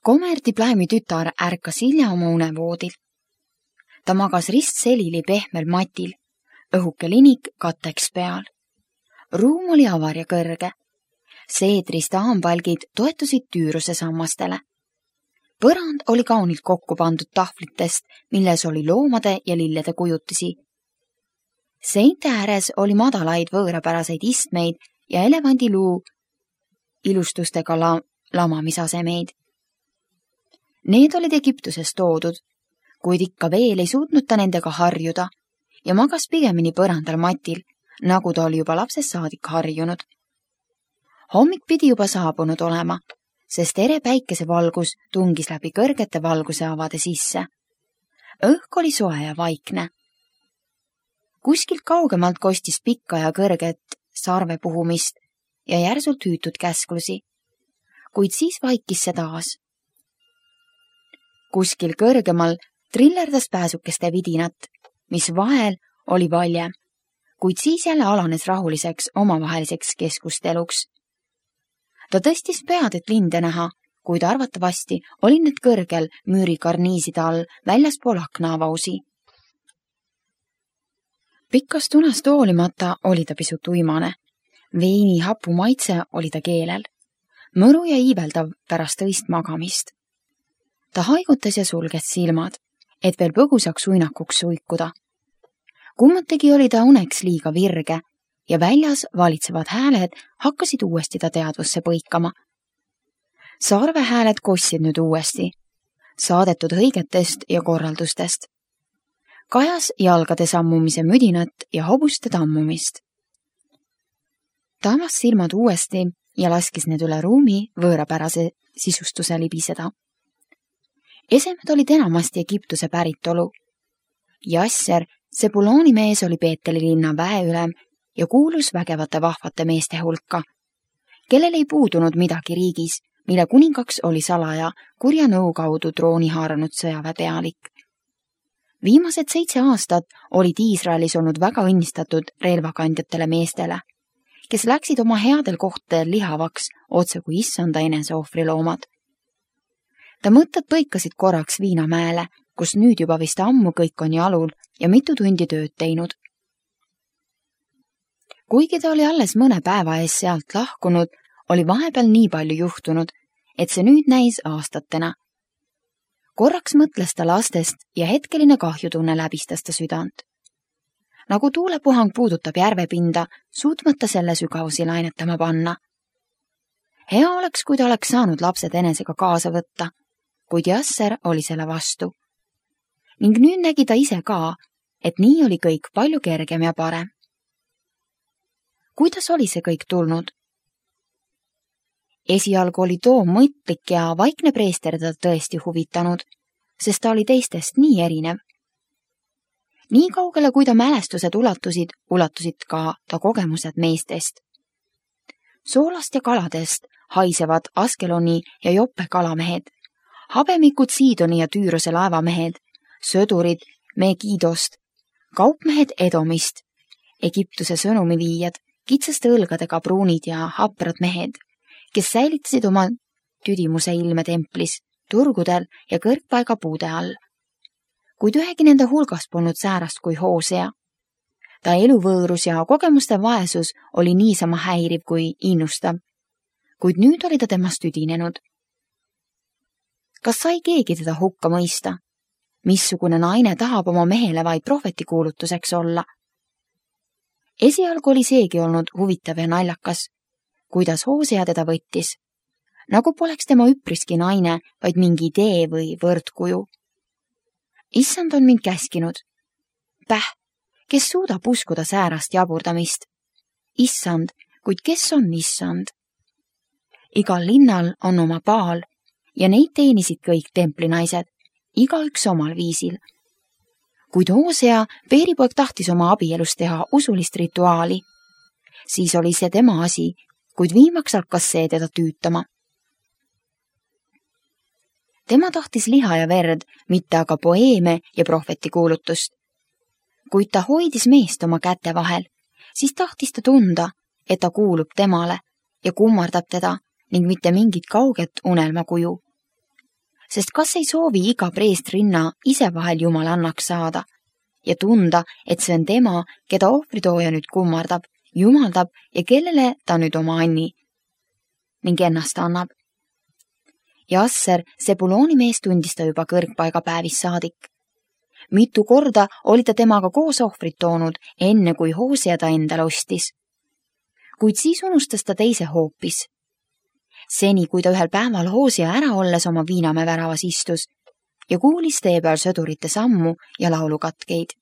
Kommerdiplaimi tütar ärkas hilja oma unevoodil. Ta magas ristselili pehmel matil, õhuke linik katteks peal. Ruum oli avar ja kõrge. Seedrist haambälgid toetusid tüüruse sammastele. Põrand oli kaunilt kokku pandud tahvlitest, milles oli loomade ja lillede kujutisi. Seinte ääres oli madalaid võõrapäraseid istmeid ja elevandiluu ilustustega lamamisasemeid. Need olid Egiptusest toodud, kuid ikka veel ei suutnud ta nendega harjuda ja magas pigemini põrandal matil, nagu ta oli juba lapsest saadik harjunud. Hommik pidi juba saabunud olema, sest ere päikesevalgus tungis läbi kõrgete valguseavade sisse. Õhk oli soe ja vaikne. Kuskilt kaugemalt kostis pikka ja kõrget sarve puhumist ja järsult hüütud käsklusi, kuid siis vaikis see taas. Kuskil kõrgemal trillerdas pääsukeste vidinat, mis vahel oli valjem, kuid siis jälle alanes rahuliseks omavaheliseks keskusteluks. Ta tõstis pead, et linde näha, kuid arvatavasti oli need kõrgel müürikarniiside all väljaspool aknaavausi. Pikkast unast hoolimata oli ta pisut uimane. Veini hapu maitse oli ta keelel. Mõru ja iiveldav pärast õist magamist. Ta haigutas ja sulges silmad, et veel põgusaks uinakuks suikuda. Kummategi oli ta uneks liiga virge ja väljas valitsevad hääled hakkasid uuesti ta teadvusse põikama. Sarvehääled kossid nüüd uuesti, saadetud hõigetest ja korraldustest. Kajas jalgade sammumise müdinat ja hobuste tammumist. Ta avas silmad uuesti ja laskis need üle ruumi võõrapärase sisustuse libiseda. Esemed olid enamasti Egiptuse päritolu. Jasser, Sebuloni mees, oli Peeteli linna väeülem ja kuulus vägevate vahvate meeste hulka, kellel ei puudunud midagi riigis, mille kuningaks oli salaja kurja nõu kaudu trooni haaranud sõjaväepealik. Viimased 7 aastat olid Iisraelis olnud väga õnnistatud relvakandjatele meestele, kes läksid oma headel kohtadel lihavaks otse kui issanda eneseohvriloomad. Ta mõtted põikasid korraks Viinamäele, kus nüüd juba vist ammu kõik on jalul ja mitu tundi tööd teinud. Kuigi ta oli alles mõne päeva ees sealt lahkunud, oli vahepeal nii palju juhtunud, et see nüüd näis aastatena. Korraks mõtles ta lastest ja hetkeline kahjutunne läbistas ta südant. Nagu tuulepuhang puudutab järvepinda, suutmata selle sügavusi lainetama panna. Hea oleks, kui ta oleks saanud lapsed enesega kaasa võtta, kuid Jasser oli selle vastu. Ning nüüd nägi ta ise ka, et nii oli kõik palju kergem ja parem. Kuidas oli see kõik tulnud? Esialgu oli too mõtlik ja vaikne preester ta tõesti huvitanud, sest ta oli teistest nii erinev. Nii kaugele, kui ta mälestused ulatusid ka ta kogemused meestest. Soolast ja kaladest haisevad Askeloni ja Joppe kalamehed, habemikud Siidoni ja Tüürose laevamehed, södurid Megidost, kaupmehed Edomist, Egiptuse sõnumiviijad, kitsaste õlgadega pruunid ja haprad mehed, kes säilitasid oma tüdimuse ilme templis, turgudel ja kõrgpaiga puude all. Kuid ühegi nende hulgas polnud säärast kui Hoosea. Ta eluvõõrus ja kogemuste vaesus oli niisama häiriv kui innustav, kuid nüüd oli ta temast tüdinenud. Kas sai keegi teda hukka mõista? Missugune naine tahab oma mehele vaid prohvetikuulutuseks olla? Esialgu oli seegi olnud huvitav ja naljakas, kuidas Hoosea teda võttis, nagu poleks tema üpriski naine, vaid mingi idee või võrdkuju. Issand on mind käskinud. Päh, kes suudab uskuda säärast jaburdamist? Issand, kuid kes on issand? Igal linnal on oma paal ja neid teenisid kõik templinaised, igaüks omal viisil. Kuid Hoosea, peeripoeg, tahtis oma abielust teha usulist rituaali. Siis oli see tema asi, kuid viimaks hakkas see teda tüütama. Tema tahtis liha ja verd, mitte aga poeeme ja prohvetikuulutust. Kuid ta hoidis meest oma käte vahel, siis tahtis ta tunda, et ta kuulub temale ja kummardab teda ning mitte mingit kauget unelmakuju. sest kas ei soovi iga preestrinna ise vahel jumalannaks saada ja tunda, et see on tema, keda ohvritooja nüüd kummardab, jumaldab ja kellele ta nüüd oma anni ning ennast annab. Jasser, Sebulooni mees, tundis ta juba kõrgpaiga päevist saadik. Mitu korda oli ta temaga koos ohvrit toonud, enne kui Hosea ta endale ostis. Kuid siis unustas ta teise hoopis. Seni, kui ta ühel päeval Hosea ära olles oma Viinamäe väravas istus ja kuulis tee peal sõdurite sammu ja laulukatkeid.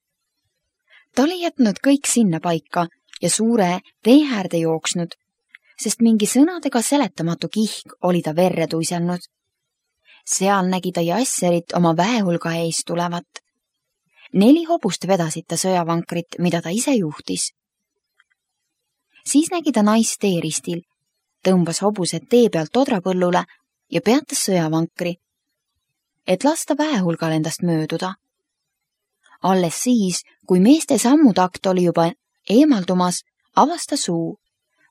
Ta oli jätnud kõik sinna paika ja suure tee äärde jooksnud, sest mingi sõnadega seletamatu kihk oli ta verre tuiselnud. Seal nägi ta Jasserit oma väehulga ees tulevat. 4 hobust vedasid ta sõjavankrit, mida ta ise juhtis. Siis nägi ta naist teeristil, tõmbas hobused tee pealt odrapõllule ja peatas sõjavankri, et lasta väehulgal endast mööduda. Alles siis, kui meeste sammutakt oli juba eemaldumas, avas ta suu,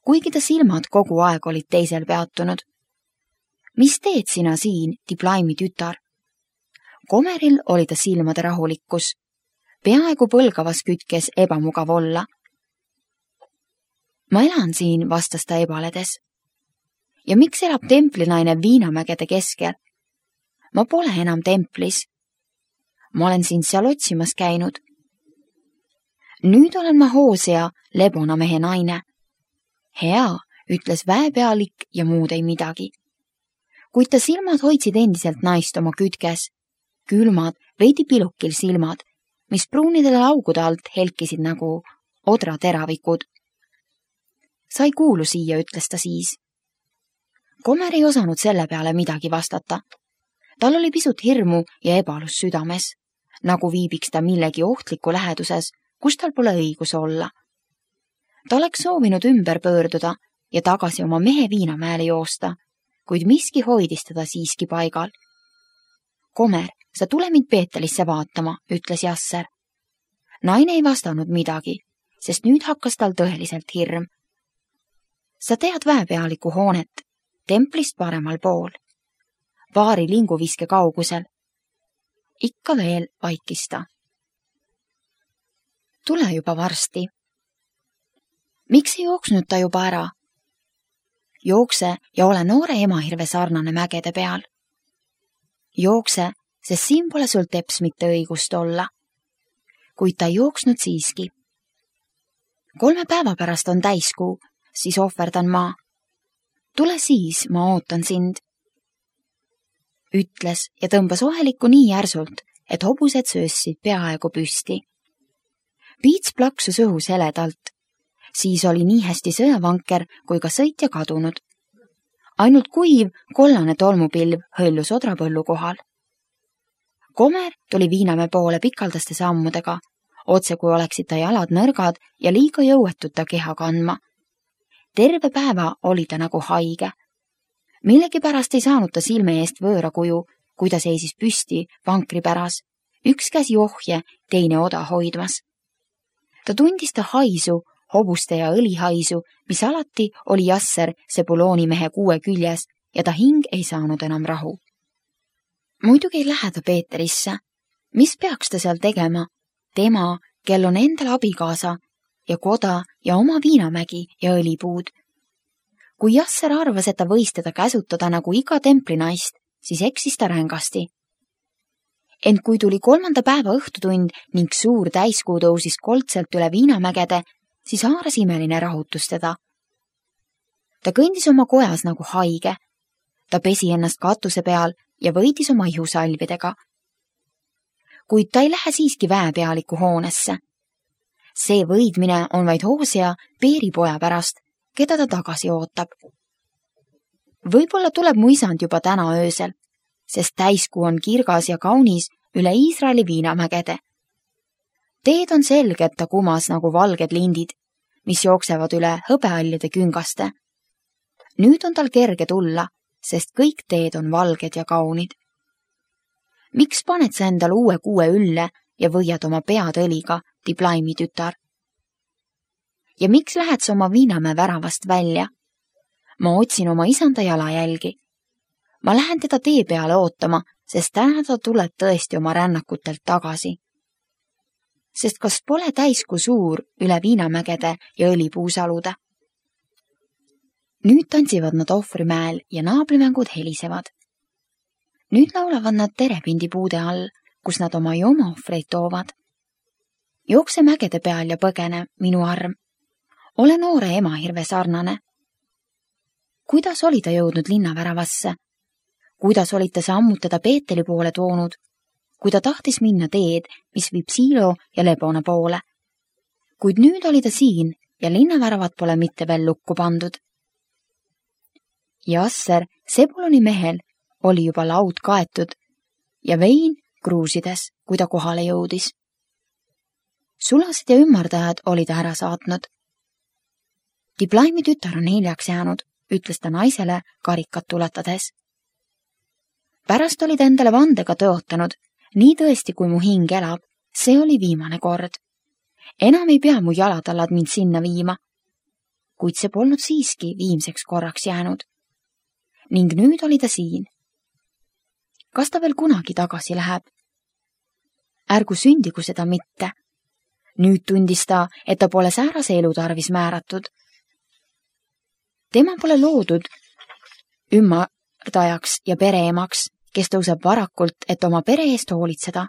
kuigi ta silmad kogu aeg olid teisel peatunud. Mis teed sina siin, Diblaimi tütar? Komeril oli ta silmade rahulikkus, peaaegu põlgavas kütkes ebamugav olla. Ma elan siin, vastas ta ebaledes. Ja miks elab templinaine Viinamägede keskel? Ma pole enam templis. Ma olen sind seal otsimas käinud. Nüüd olen ma Hosea, Lebona mehe naine. Hea, ütles väepealik ja muud ei midagi. Kuid ta silmad hoidsid endiselt naist oma kütkes. Külmad, veidi pilukil silmad, mis pruunidele augude alt helkisid nagu odrateravikud. Sa ei kuulu siia, ütles ta siis. Komer ei osanud selle peale midagi vastata. Tal oli pisut hirmu ja ebalus südames, nagu viibiks ta millegi ohtliku läheduses, kus tal pole õigus olla. Ta oleks soovinud ümber pöörduda ja tagasi oma mehe Viinamäele joosta, kuid miski hoidis teda siiski paigal. Komer, sa tule mind Peetelisse vaatama, ütles Jasser. Naine ei vastanud midagi, sest nüüd hakkas tal tõeliselt hirm. Sa tead väepealiku hoonet, templist paremal pool. Paari linguviske kaugusel. Ikka veel vaikis ta. Tule juba varsti. Miks ei jooksnud ta juba ära? Jookse ja ole noore emahirve sarnane mägede peal. Jookse, sest siin pole sul teps mitte õigust olla. Kuid ta ei jooksnud siiski. 3 päeva pärast on täiskuu, siis ohverdan ma. Tule siis, ma ootan sind. Ütles ja tõmbas ohelikku nii järsult, et hobused söössid peaaegu püsti. Piits plaksus õhus heledalt. Siis oli nii hästi sõjavanker kui ka sõitja kadunud. Ainult kuiv, kollane tolmupilv hõllus odrapõllu kohal. Komer tuli Viinamäe poole pikaldaste sammudega, otse kui oleksid ta jalad nõrgad ja liiga jõuetud ta keha kandma. Terve päeva oli ta nagu haige. Millegipärast ei saanud ta silme eest võõra kuju, kui ta seisis püsti vankri päras, üks käsi ohje, teine oda hoidmas. Ta tundis ta haisu, hobuste ja õlihaisu, mis alati oli Jasser Sebulooni mehe kuue küljes ja ta hing ei saanud enam rahu. Muidugi ei lähe ta Peeterisse. Mis peaks ta seal tegema? Tema, kel on endal abikaasa ja koda ja oma Viinamägi ja õlipuud. Kui Jasser arvas, et ta võis teda käsutada nagu iga templinaist, siis eksis ta rängasti. Ent kui tuli 3. päeva õhtutund ning suur täiskuu tõusis koldselt üle Viinamägede, siis haaras imeline rahutus teda. Ta kõndis oma kojas nagu haige. Ta pesi ennast katuse peal ja võidis oma ihusalvidega. Kuid ta ei lähe siiski väepealiku hoonesse. See võidmine on vaid Hosea Peeripoja pärast, keda ta tagasi ootab. Võib-olla tuleb mu isand juba täna öösel, sest täiskuu on kirgas ja kaunis üle Iisraeli Viinamägede. Teed on selged ta kumas nagu valged lindid, mis jooksevad üle hõbeallide küngaste. Nüüd on tal kerge tulla, sest kõik teed on valged ja kaunid. Miks paned sa endal uue kuue ülle ja võiad oma pead õliga, Diblaimi tütar? Ja miks lähed sa oma Viinamäe väravast välja? Ma otsin oma isanda jalajälgi. Ma lähen teda tee peale ootama, sest täna ta tuleb tõesti oma rännakutelt tagasi. Sest kas pole täiskuu suur üle Viinamägede ja õlipuusalude? Nüüd tantsivad nad ohvrimäel ja naabrimängud helisevad. Nüüd laulavad nad terepindipuude all, kus nad oma joomaohvreid toovad. Jookse mägede peal ja põgene, minu arm. Ole noore emahirve sarnane. Kuidas oli ta jõudnud linnaväravasse? Kuidas olid ta sammutada Peeteli poole toonud, kui ta tahtis minna teed, mis viib Siilo ja Lebona poole? Kuid nüüd oli ta siin ja linnaväravat pole mitte veel lukku pandud. Jasser, Sebuloni mehel, oli juba laud kaetud ja vein kruusides, kui ta kohale jõudis. Sulased ja ümmardajad oli ta ära saatnud. Diblaimi tütar on hiljaks jäänud, ütles ta naisele karikat tuletades. Pärast oli ta endale vandega tõotanud, nii tõesti kui mu hing elab, see oli viimane kord. Enam ei pea mu jalatallad mind sinna viima, kuid see polnud siiski viimseks korraks jäänud. Ning nüüd oli ta siin. Kas ta veel kunagi tagasi läheb? Ärgu sündigu seda mitte. Nüüd tundis ta, et ta pole säärase elu tarvis määratud. Tema pole loodud ümmardajaks ja pereemaks, kes tõuseb varakult, et oma pere eest hoolitseda.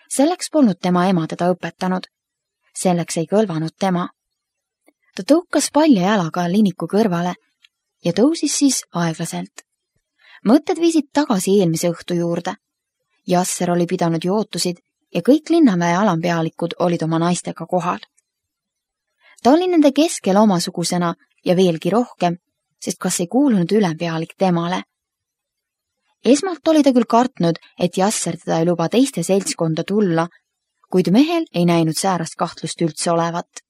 Selleks polnud tema ema teda õpetanud. Selleks ei kõlvanud tema. Ta tõukas palja jalaga liniku kõrvale ja tõusis siis aeglaselt. Mõtted viisid tagasi eelmise õhtu juurde. Jasser oli pidanud jootusid ja kõik linnaväe alampealikud olid oma naistega kohal. Ta oli nende keskel omasugusena ja veelgi rohkem, sest kas ei kuulunud ülempealik temale. Esmalt oli ta küll kartnud, et Jasser teda ei luba teiste seltskonda tulla, kuid mehel ei näinud säärast kahtlust üldse olevat.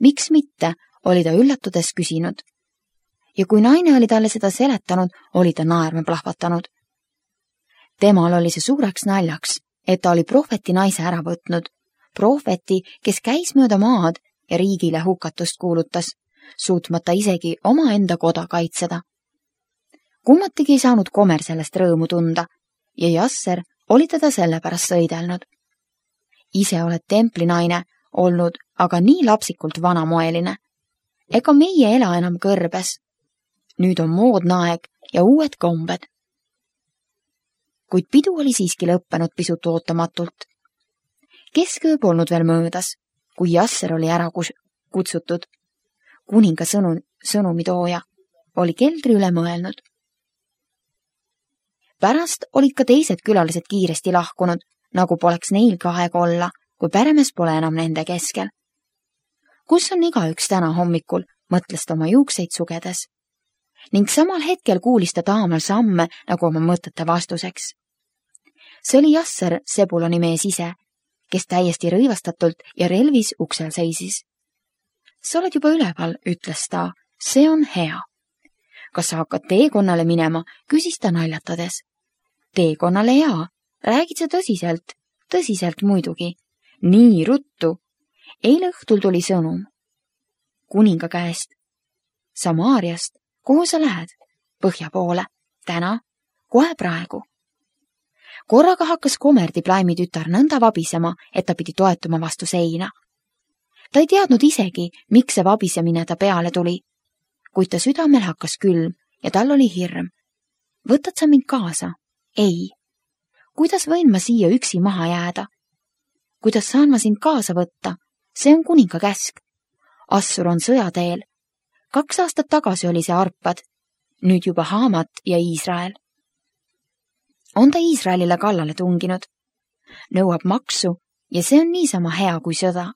Miks mitte, oli ta üllatudes küsinud. Ja kui naine oli talle seda seletanud, oli ta naerma plahvatanud. Temal oli see suureks naljaks, et ta oli prohveti naise ära võtnud. Prohveti, kes käis mööda maad ja riigile hukatust kuulutas, suutmata isegi omaenda koda kaitseda. Kummatigi ei saanud Komer sellest rõõmu tunda ja Jasser oli teda sellepärast sõidelnud. Ise oled templinaine olnud, aga nii lapsikult vanamoeline. Ega meie ela enam kõrbes. Nüüd on moodne aeg ja uued kombed. Kuid pidu oli siiski lõppenud pisut ootamatult. Kesköö polnud veel möödas, kui Jasser oli ära kutsutud. Kuninga sõnumitooja oli keldri üle mõelnud. Pärast olid ka teised külalised kiiresti lahkunud, nagu poleks neilgi aega olla, kui peremees pole enam nende keskel. Kus on igaüks täna hommikul, mõtles ta oma juukseid sugedes. Ning samal hetkel kuulis ta taamal samme nagu oma mõtete vastuseks. See oli Jasser, Sebuloni mees ise, kes täiesti rõivastatult ja relvis uksel seisis. Sa oled juba üleval, ütles ta, see on hea. Kas sa hakkad teekonnale minema, küsis ta naljatades. Teekonnale jaa, räägid sa tõsiselt? Tõsiselt muidugi. Nii ruttu. Eile õhtul tuli sõnum. Kuninga käest. Samaariast. Kuhu sa lähed? Põhja poole. Täna? Kohe praegu. Korraga hakkas Komer Diblaimi tütar nõnda vabisema, et ta pidi toetuma vastu seina. Ta ei teadnud isegi, miks see vabisemine ta peale tuli, kuid ta südamel hakkas külm ja tal oli hirm. Võtad sa mind kaasa? Ei. Kuidas võin ma siia üksi maha jääda? Kuidas saan ma sind kaasa võtta? See on kuninga käsk. Assur on sõjateel. 2 aastat tagasi oli see Arpad, nüüd juba Haamat ja Iisrael. On ta Iisraelile kallale tunginud. Nõuab maksu ja see on niisama hea kui sõda.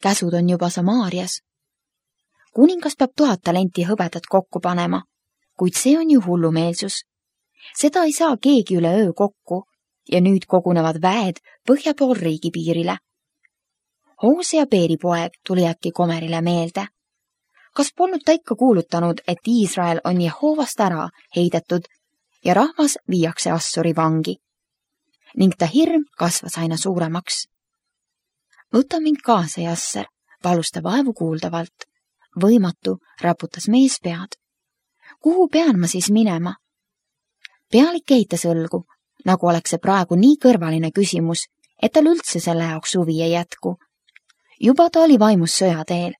Käsud on juba Samaarias. Kuningas peab 1000 talenti hõbedat kokku panema, kuid see on ju hullumeelsus. Seda ei saa keegi üle öö kokku ja nüüd kogunevad väed põhja pool riigipiirile. Hoosea Peeripoeg tuli äkki Komerile meelde. Kas polnud ta ikka kuulutanud, et Iisrael on Jehoovast ära heidetud ja rahvas viiakse Assuri vangi? Ning ta hirm kasvas aina suuremaks. Võta mind kaasa, Jasser, palus ta vaevu kuuldavalt. Võimatu, raputas mees pead. Kuhu pean ma siis minema? Pealik eitas õlgu, nagu oleks see praegu nii kõrvaline küsimus, et tal üldse selle jaoks huvi ei jätku. Juba ta oli vaimus sõjateel.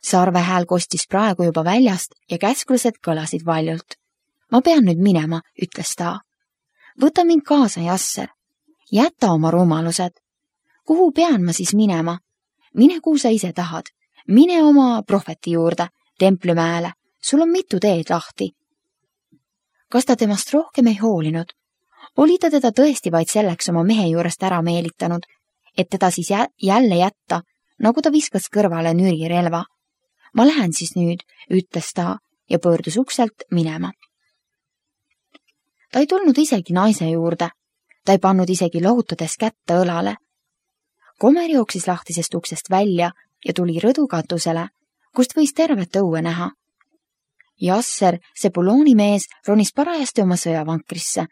Sarve hääl kostis praegu juba väljast ja käsklused kõlasid valjult. Ma pean nüüd minema, ütles ta. Võta mind kaasa, Jasser. Jäta oma rumalused. Kuhu pean ma siis minema? Mine, kuhu sa ise tahad. Mine oma prohveti juurde, Templimäele. Sul on mitu teed lahti. Kas ta temast rohkem ei hoolinud? Oli ta teda tõesti vaid selleks oma mehe juurest ära meelitanud, et teda siis jälle jätta, nagu ta viskas kõrvale nürirelva. Ma lähen siis nüüd, ütles ta ja pöördus ukselt minema. Ta ei tulnud isegi naise juurde. Ta ei pannud isegi lohutades kätte õlale. Komer jooksis lahtisest uksest välja ja tuli rõdukatusele, kust võis tervet õue näha. Jasser, see Bulooni mees, ronis parajasti oma sõjavankrisse.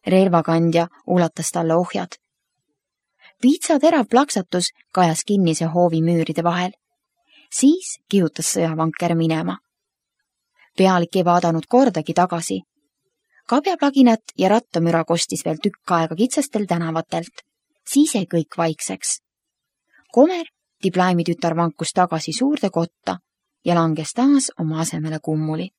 Relvakandja ulatas talle ohjad. Piitsa terav plaksatus kajas kinnise hoovi müüride vahel. Siis kihutas sõjavanker minema. Pealik ei vaadanud kordagi tagasi. Kabjaplaginat ja rattamüra kostis veel tükk aega kitsastel tänavatelt. Siis jäi kõik vaikseks. Komer, Diblaimi tütar, vankus tagasi suurde kotta ja langes taas oma asemele kummuli.